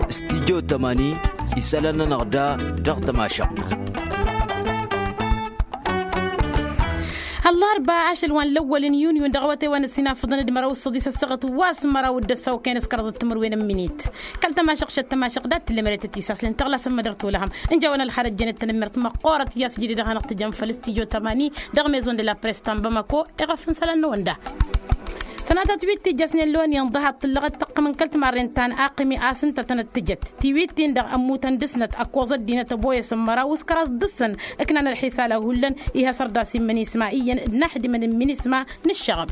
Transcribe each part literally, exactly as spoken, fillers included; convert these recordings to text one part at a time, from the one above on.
Studyo tămani isălan-nănăɣ da dăɣ-tămašăɣt. Ăllarba ašăl wa n-lăwwăl n-yunyu n-dăɣ-awătay wa n-ăsinafăḍăn d-măraw s-săḍis ăssaɣăt wa s-măraw d-ăssaw kăyăn s-kăraḍăt timǝrwen n-minit. Kăl-tămašăɣt šăt tămašăɣt dat-tǝllemăret ătisaslen tăɣlasăn mădăr tolăhăm. Ǝnja a-wen ălxarăt jănet tanămmert măqqoorăt i-a-s jidǝy dăɣ-hanăɣ-tǝjăm făll-studyo tămani dăɣ-maison de la press ta n-bamako. Eɣăf n-isălan-năwăn da sănatăt wi t-ijjăsnen loni ǝnḍăhăḍ tǝllăɣăt tăqqǝm n-kăl-timarren ta n-aqmi a-s ǝnta tănăt-tǝjăt tiwit-tin-dăɣ ămmutăn dăr-snăt ăkkoẓ ăddinăt ăboyăsăn măraw s-kăraẓ dăr-săn. Ǝknan ălxisal a hullan iha sărdasi n-minisma iyyăn d-inaxdimăn n-minisma n-ǝššăɣăb.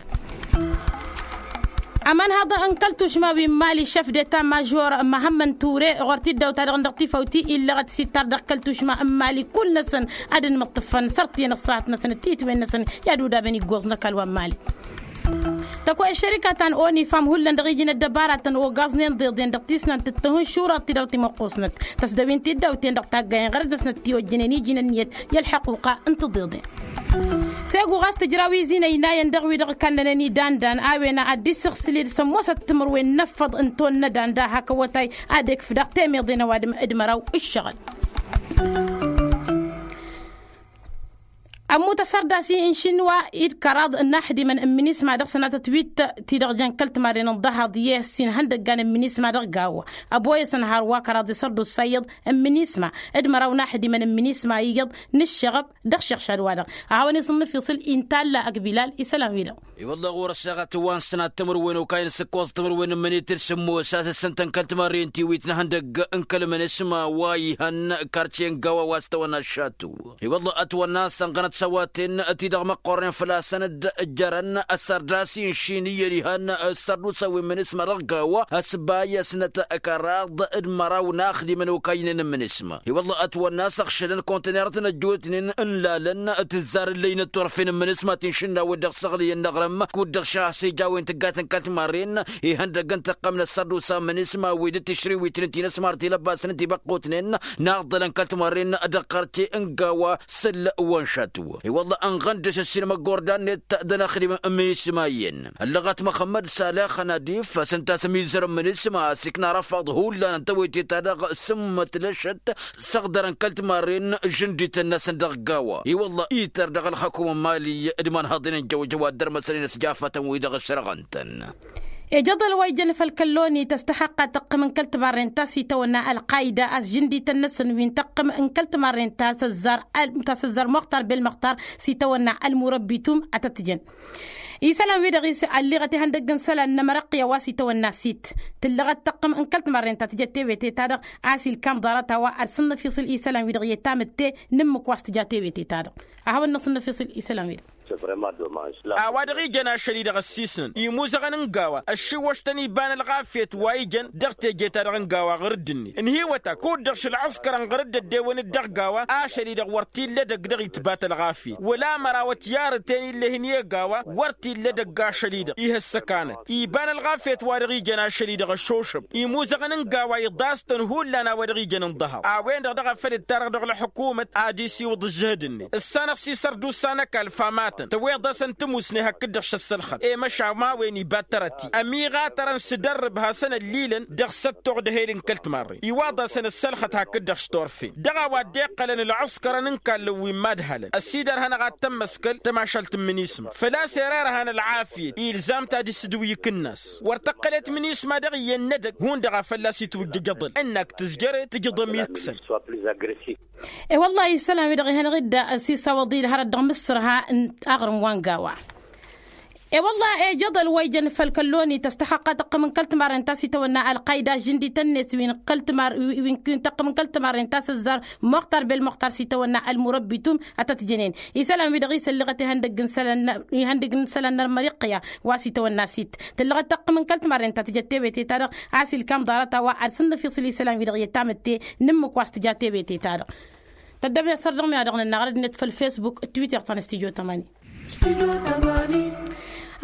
Ămanhaḍ n-kăl-tušma wi n-mali šăf deta mažor măhămmăn ture ɣur-t-dd-awta-dăɣ n-dăɣ-tifawt illăɣăt s-ittar dăɣ-kăl-tušma n-mali kull-năsăn. Ad-ănmǝṭṭǝfăn sărt-iyyăn ăṣṣahat-năsăn d-titwen-năsăn i-ad-udabăn iggoẓ n-ăkall wa n-mali. Tăkoy ăššărika ta n-onifam hullan dăɣ-iji n-ăddăbaratăn ogaẓnen ḍeḍen dăɣ-tisnant d-tăhǝnšurăt ti-dăɣ timăqqusnăt tăsdăwin ti dd-awten dăɣ-taggayen ɣărăt-năsnăt ti-ojjănen iji n-ǝnniyăt i-ălḥăquqa n-tiḍeḍen. S-e-gu ɣas tǝjraw izi n-ăynayăn dăɣ-wi-dăɣ kannănen idan-dan a-wen a dd-isǝɣsǝl-dd sămoosăt timǝrwen n-ăffăḍ n-tonnădan da hak awătay ad-ekf daɣ temeḍe n-ăwadǝm d-măraw ǝššăɣǝl. Ămmut asărdasi n-išinwa-i d-kăraḍ n-inaxdimăn n-minisma dăɣ-sănatăt wi t-idăɣ jăn kăl-timarren n-ḍahaḍ i-ăssin ihăndăggan n-minisma dăɣ-gawa ăboyăsăn hărwa kăraḍ isărdusa iyyăḍ n-minisma d-măraw inaxdimăn n-minisma iyyăḍ n-ǝššăɣăb. Dăɣ-šăɣšad-wa-dăɣ a hawăn-isǝnnǝf iṣǝl intalla ăgg bilal isălan-wi-dăɣ. I-wălla ɣur-ăssaɣăt wa n-sănat timǝrwen okayăn s-ǝkkoẓ timǝrwen n-imǝnit d-sǝmmos a-s ǝssǝntăn kăl-timarren tiwit n-ihăndăgg n-kăl-minisma wa ihăn karce n-gawa wa s-tawănna šatu. I-wălla ătwănna a-s ănɣănăt s-ăwaten-ti-dăɣ măqqornen făl-asăn-dd jărăn ăssărdas inšin iyyăn ihăn ăssărdusa wi n-minisma dăɣ-gawa ăsbayăsnăt kăraḍ d-măraw n-axdimăn okaynen n-minisma. I-wălla ătwănna a-s ăɣšădăn kontenerăt n-ăjjootnen ǝnlalăn tǝzzar ǝllăynăt turfen n-minisma ti n-išǝnnawăt dăɣ-săɣlǝyăn n-aɣrǝm kud-dăɣ šahăs ija a-wen tǝggatăn kăl-timarren ihăndăgg n-tăqqăm n-ăssărdusa n-minisma wi d-tišriwitnen ti n-ăsmar tilăbbasnen tibăqqutnen n-aḍḍălăn kăl-timarren dăɣ-karce n-gawa sǝll-wăn šatǝw. I-wălla ănɣăn dăr-s ǝssin măggordan-net d-ănaxdimăn n-minisma iyyăn ăllăɣăt măxămmăd salex ănadif a-s ǝnta a-s ămizăr n-minisma a-s ikna răfaḍ hullan n-tawăyte-ta-dăɣ sǝmmăt lăšăt s-ăɣdărăn kăl-timarren žǝndităn-năsăn dăɣ-gawa i-wălla ităr dăɣ-ălxăkum n-mali d-imanhăḍen n-jăwjăwa dd-ărmăsănen s-jafătăn-wi-dăɣ ǝšrăɣăn-tăn. Ejăḍăl wa ijăn făll-kălloni tăstăxăqqa tăqqǝm n-kăl-timarren ta s-itawănna ălqayda a-s žǝndităn-năsăn wi n-tăqqǝm n-kăl-timarren ta s-ăzzar muxtar bel-muxtar s-itawănna ălmurăbbitum ad-tăt-tǝjăn. Isălan-wi-dăɣ ălliɣăt ihăndăgg n-isălan n-amărăqqǝya wa s-itawănna sit tǝllăɣăt tăqqǝm n-kăl-timarren ta tǝjăt tewete-ta-dăɣ a-s ilkam ḍarăt a-wa ad-sǝnnăf iṣǝl isălan-wi-dăɣ i-tamǝtte n-ǝmmǝk wa s-tǝja tewete-ta-dăɣ. A hawăn-năsǝnnăf iṣǝl isălan-wi-dăɣ. A-wa dăɣ-ijăn ašăl-i-dăɣ ăssiisnăn imuzăɣăn n-gawa ăššiwwăštăn iba n-ălɣafyăt wa ijăn dăɣ-teje-ta-dăɣ n-gawa ɣur-dd-net ǝnhǝywăt-ak kud-dăɣ šăl ăskărăn ɣur-dd-ăddewăn-dd dăɣ-gawa ašăl-i-dăɣ wăr t-illa edăgg dăɣ-itbat ălɣafyăt wăla mărawăt yarǝten ill'-e hin-e-gawa wăr t-illa edăgg ašăl-i-dăɣ ihăssăkanăt iba n-ălɣafyăt wa dăɣ-ijăn ašăl-i-dăɣ ăššošăb imuzăɣăn n-gawa iḍas-tăn hullan a-wa dăɣ-ijăn ǝnḍăhăḍ a-wen-dăɣ dăɣ-afăl dd-tarăɣ dăɣ-ălḥukumăt ad-isiwǝḍ ǝžžǝhǝd-net ǝssanăɣ s-isărdusa n-ăkall famatăn tăweḍ-asăn tǝmusne hakd-dăɣ šăssălxăt i-măšan ma-wen iba tărăt-i ămiɣatărăn s-dăr-ǝbhasăn ăllilăn dăɣ-săttoɣ d-ehel n-kăl-timarren iwaḍ-asăn ǝssălxăt hakd-dăɣ s-turfen dăɣ-a-wa dd-iqqălăn ălɣǝskărăn n-kallăn wi n-imadhalăn ăsidărhănăɣ ad-tămmăskăl tămašalt n-minisma făl-a-s irerhăn ălɣafyăt ilzam-t ad-isǝdǝw ikǝnnas wăr tăqqălet minisma dăɣ-iyyăn n-edăgg hundăɣ a fălla-s itwǝjjăj aḍǝl ǝnnak tǝzjăre tǝjǝḍ ămiksăn. E-wăllah isălan-wi-dăɣ ihănăɣ-dd s-isawăḍ-i d-hărăt dăɣ-mǝssǝrha n-aɣrǝm wa n-gawa. E-wăllah ejăḍăl wa ijăn făll-kălloni tăstăxăqqa tăqqǝm n-kăl-timarren ta s-itawănna ălqayda žǝndităn-net wi n-kăl-timar wi n-tăqqǝm n-kăl-timarren ta s-ăzzar muxtar bel-muxtar s-itawănna ălmurăbbitum ad-tăt-jănen isălan-wi-dăɣ isăllăɣăt ihăndăgg n-isălan n-ălmăriqqǝya wa s-itawănna sit tǝllăɣăt tăqqǝm n-kăl-timarren ta tǝjăt tewete-ta-dăɣ a-s ilkam ḍarăt a-wa ad-sǝnnǝf iṣǝl isălan-wi-dăɣ i-tamǝtte n-ǝmmǝk wa s-tǝja tewete-ta-dăɣ. Tăddăbnen săr-dăɣ mi-ad-dăɣ-nǝnnaɣ rădd-net făll-fesbuk d-twitter ta n-studyo tămani.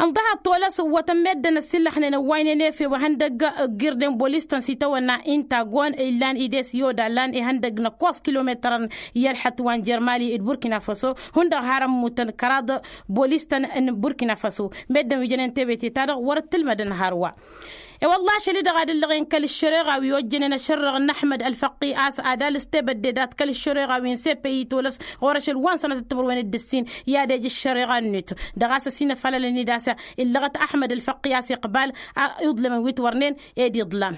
Ǝnḍăhăḍ tolăs wătăn meddǝn ăssillăxnen ăwwaynen efew ihăndăgg ǝggirden bolis-tăn s-itawănna inta gon illan ides yoda lan ihăndăgg năkkoẓ kilometărăn i-ălxăt wa n-jer-mali d-burkina faso hundăɣ har ămmutăn kăraḍ bolis-tăn n-burkina faso meddǝn wi jănen tewete-ta-dăɣ wăr-dd-tǝlmădăn hărwa. E-wălla ašăl-i-dăɣ ad-ǝllăɣen kăl-ǝššăreɣa wi ojjănen ašărrăɣ n-aḥmăd ălfăqqi a-s ad-alǝs tebădde dat kăl-ǝššăreɣa wi n-seppe itolăs ɣur-ašăl wa n-sănatăt timǝrwen d-ǝssin. I-ad-ej ǝššăreɣa-net dăɣ-a-s ăsinăfalălăn-dd a-s illăɣăt aḥmăd ălfăqqi a-s iqbal iḍlămăn wi t-wărnen ed iḍlan.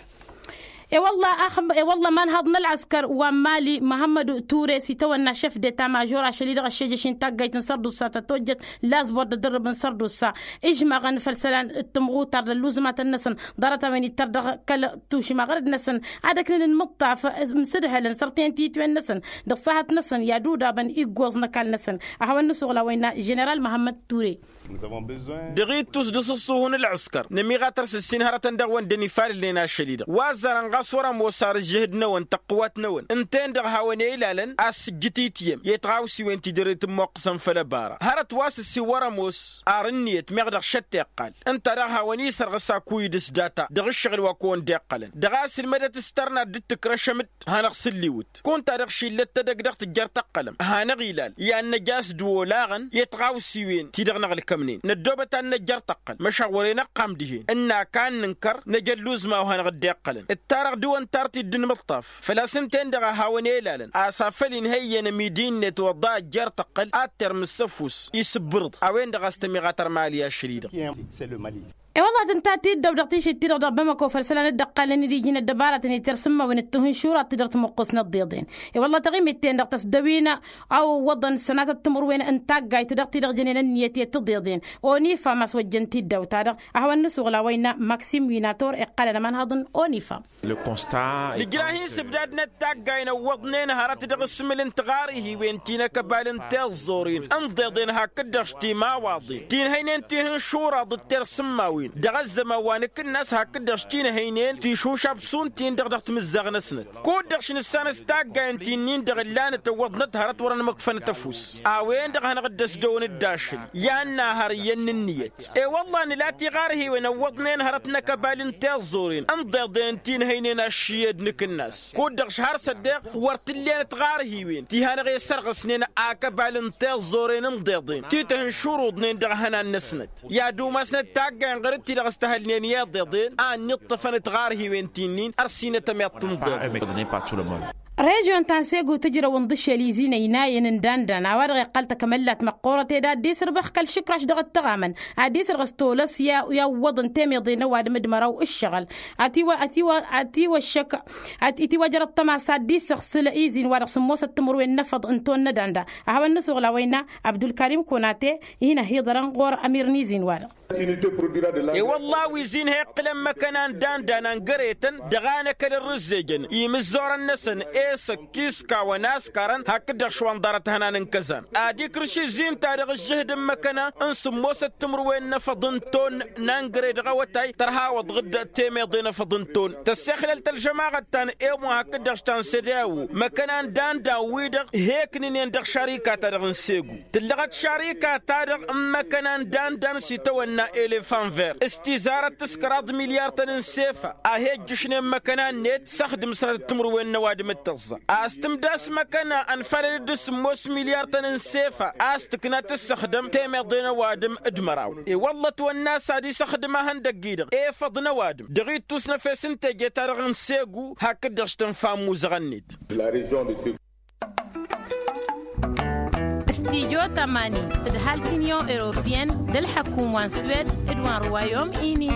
E-wălla a-s e-wălla imanhăḍ n-ălɣăskăr wa n-mali măhămmăd ture s-itawănna šef d-eta mažor ašăl-i-dăɣ ăššejăš-in taggayt n-sărdusa tătojjăt lazbor d-adǝrrǝb n-sărdusa. Ižmaɣăn făll-isălan d-timɣutar d-ălluẓmatăn-năsăn ḍarăt-a-wen ittăr dăɣ-kăl-tušimăɣrăd-năsăn ad-ăknǝn n-imǝṭṭaf. Imsǝdhălăn săr-ten titwen-năsăn dăɣ-sahăt-năsăn i-ad-udabăn iggoẓ n-ăkall-năsăn. Ad-hawăn-nǝsuɣǝl a-wa innă ženeral măhămmăd ture. Dăɣ-ittus d-asǝṣṣuhu n-ălɣǝskăr nămiɣatăr s-ǝssin hărătăn dăɣ-wăn dd-ănifalălnen ašăl-i-dăɣ wa ăzzarăn ɣas wăr-ămoos ar ǝžžǝhǝd-năwăn tăqqǝwat-năwăn ǝnta-en-dăɣ hawăn-e-ilalăn a-s sǝjjǝt ityem i-tiɣawsiwen ti dăr-e tǝmmoqqǝsăn făll-ăbara hărăt wa s-ǝssin wăr-ămoos ar ǝnniyăt meɣ dăɣ-šăt tiqqal ǝnta daɣ hawăn-isărɣǝs akuyǝd s-data dăɣ-ǝššăɣǝl wa kăwăn-dd-iqqălăn dăɣ-a-s ǝlmădăt s-tărna dd-tǝkrăšăm-dd hanăɣ-sǝlliwǝt kunta dăɣ-šillăt tedăgg dăɣ-tǝjjăr tăqqălăm hanăɣ-ilal i-ad-năj a-s dd-olaɣăn i-tiɣawsiwen ti dăɣ-năɣ ǝlkămnen năddoobăt ad-năjjăr tăqqăl măšan wăren ăqqam dihen ǝnn'-ak a n-nǝnkăr năj ălluẓma wa hanăɣ-dd-iqqălăn ǝttarăɣ dăɣ-wăn tartit d-inmǝṭṭaf făl-a-s ǝnta-en-dăɣ a hawăn-e-ilalăn a-s afăl inhăyyen ămidi-net wăḍḍa ăjjeer tăqqăl ad-termǝs s-ăfuss isǝbbǝrǝḍ a-wen-dăɣ a-s tămiɣatăr mali ašăl-i-dăɣ. E-wălla tǝnta tiddăw dăɣ-tišit-ti-dăɣ dăɣ-bamăko făll-isălan dd-ăqqalăn d-iji n-ăddăbarătăn itir s-ǝmmawăn d-tihǝnšurat ti dăr-tǝmǝqqus n-ǝḍḍeḍen. E-wălla taɣimit-ten-dăɣ tăsdăwin a ăwwăḍăn s-sănatăt timǝrwen n-taggayt dăɣ-ti-dăɣ jănen ǝnniyăt i-tǝḍeḍen. Onifam a-s wăjjăn tiddăw-ta-dăɣ a hawăn-nǝsuɣǝl a-wa innă maksim winator iqqălăn ămanhăḍ n-onifam. Nǝjrah-in s-ǝbdad n-ăttaggay n-ăwwăḍnen hărăt dăɣ-asǝmǝl n-tiɣarhiwen ti n-akăbal n-tiẓẓurin ǝnḍeḍen hakd-dăɣ s-timawaḍen ti n-hăynen tihǝnšuraḍ d-tersǝmmawen dăɣ-ăzzăman wa nǝkǝnnas hakd-dăɣ s-ti n-hăynen tišušab šund-tin-dăɣ dăɣ-timǝzzaɣ-năsnăt kud-dăɣ š-nǝssanăs taggayen ti-nin-dăɣ ǝllanăt ăwwăḍnăt hărăt wăr-ănmăkfănăt ăfuss. A-wen-dăɣ a hanăɣ-dd-ăsdăwăn d-ašăl i-ad-nahăr iyyăn n-ǝnniyăt. E-wălla nǝla tiɣarhiwen ăwwăḍnen hărăt n-akăbal n-tiẓẓurin ǝnḍeḍen ti n-hăynen aššiyed nǝkǝnnas kud-dăɣ š-har s-ăddeɣ wăr t-ǝllen tiɣarhiwen ti hanăɣ-e-sărɣǝsnen akăbal n-tiẓẓuren ǝnḍeḍen ti tǝhǝnšuruḍnen dăɣ-ihănan-năsnăt i-ad-umasnăt taggayen ɣur-dd-ti-dăɣ s-tăhălnen i-iḍeḍen a ănniṭṭăfăn tiɣarhiwen ti-nin ărsinăt ămiḍt ǝnḍeḍen. Režyon ta n-segu tǝjrăw ǝnḍǝšel izin ăynayăn n-dandan a-wa-dăɣ iqqăl takămăllat măqqoorăt ed ad-dd-isǝrbăx kăl-išǝkraš dăɣ-ăttăɣamăn ad-dd-isǝrɣǝs tolăs i-a ǝwwăḍăn temeḍe n-ăwadǝm d-măraw ǝššăɣǝl. Ătiwăššăk ătiwăjjăr ăṭṭăma s-ad-dd-isăɣsǝl izin-wa-dăɣ sǝmmosăt timǝrwen n-efăḍ n-ton n-edanda. A hawăn-nǝsuɣǝl a-wa innă abdulkarim konate. Hin-ăhiḍărăn ɣur-ămir n-izin-wa-dăɣ. E-wălla a-wa izin ha iqqǝlăn măkăna n-dandan ăngăretăn dăɣ-anăkăl ărrǝzzejăn imǝzzorăn-năsăn esăk kiskawăn askarăn hakd-dăɣ šwanḍarăt ihănan n-kăzan ad-ikrǝš izin-ta-dăɣ ǝžžǝhǝd n-măkăna n-sǝmmosăt timǝrwen n-efăḍ n-ton n-angăre dăɣ-awătay tărha awăḍăɣ-dd temeḍe n-efăḍ n-ton tăssexlăl-t ălžămaɣăt ta n-emwa hakd-dăɣ ta n-sădeawo măkăna n-dandan-wi-dăɣ he-ǝknǝnen dăɣ-šarika-ta-dăɣ n-segu. Tǝllăɣăt šarika-ta-dăɣ n-măkăna n-dandan s-itawănna elefan ver s-tizarăt s-kăraḍ milyar-tăn n-sefa a he-ǝjjǝšnen măkăna-net s-ăxdǝm sănatăt timǝrwen n-ăwadǝm d-tăẓẓa a-s tǝmdas măkăna ănfalăl-dd s-sǝmmos milyar-tăn n-sefa a-s tǝkna tǝssăxdăm temeḍe n-ăwadǝm d-măraw. I-wălla ătwănna a-s ad-isăxdǝm ahăndăgg-i-dăɣ efăḍ n-ăwadǝm dăɣ-ittus n-efes n-teje-ta-dăɣ n-segu hakd-dăɣ s-tǝnfa n-imuzăɣăn-net. Studyo tămani tǝdhal t-inyon europiyăn d-ălḥăkum wa n-swed d-wa n-ruwayom ini.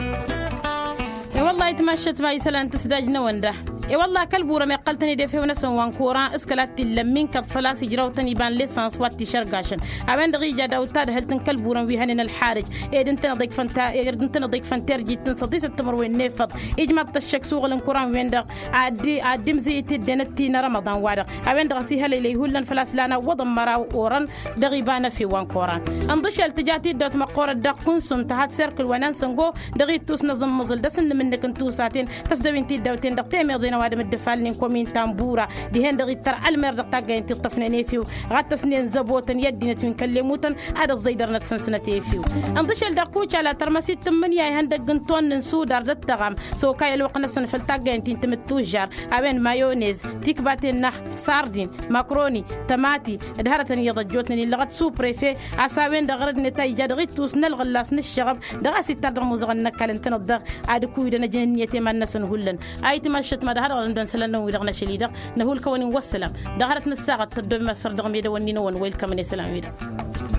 I-wăllah itmašăt ma isălan tǝsdaj-năwăn da. I-wăllah kăl-burăm iqqăl-tăn-dd efew-năsăn wa n-koran s-kăla t-illăm min kăḍ făl-a-s ijraw-tăn iba n-lesăns wa t-išărgašăn a-wen-dăɣ ija daw-dd tadhǝlt n-kăl-burăm wi hănen ălxarǝj ed ǝntăneḍ ikfăn terjit n-săḍisăt timǝrwen n-efăḍ. Ijmaḍ-t ăššăk s-uɣǝl n-kuran-wen-dăɣ ad-dd-imzǝy itǝdden d-ti n-arămăḍan-wa-dăɣ a-wen-dăɣ a-s ihălăylăy hullan făl-a-s lan ăwwăḍăn măraw orăn. Dăɣ-iba n-efew wa n-koran ǝnḍǝšel tǝja tiddawt măqqoorăt dăɣ-kunsum tăha d-serkǝl wa n-ansăngo. Dăɣ-ittus n-aẓǝmmǝẓǝl dăr-s n-inǝmǝnnǝk n-tusaten tăsdăwin tiddawten dăɣ-temeḍe n-ăwadǝm dd-ăfalnen. Tambura dihen-dăɣ ittăr ălmer dăɣ-taggayăn ti ǝṭṭăfnen efew ɣad tăsnen zăbotăn i-ăddinăt wi n-kăllemutăn. Ad-ăẓẓăydărnăt săn-sănăt efew. Ǝnḍǝšel daɣ kucala tărmăsit tǝmmǝnǝya ihăndăgg n-tonnǝn sudar d-ăttăɣam s-okay ălwăqq-năsăn făll-taggayăn ti n-tǝmǝttužžar a-wen mayonez tikbaten n-ax sardin makroni tămati d-hărătăn iyyăḍ ăjjootnen illăɣăt suprefe a-s a-wen-dăɣ ɣărădnet a ija dăɣ-ittus n-ălɣǝllas n-ǝššăɣăb dăɣ-a-s ittar dăɣ-imuzăɣăn n-ăkall ǝntăneḍ-dăɣ ad-ǝkuyǝdăn ăjăn ǝnniyăt i-iman-năsăn hullan. A itmaššăt ma d-ad-haḍăɣ dăɣ-dăn isălan-năwăn-wi-dăɣ n-ašăl-i-dăɣ năhulkăwăn-in wa ăssălam dăɣ-hărăt n-ăssaɣăt tăddoobem asăr dăɣ-medăwăn-ninăwăn wa ilkămăn i-isălan-wi-dăɣ.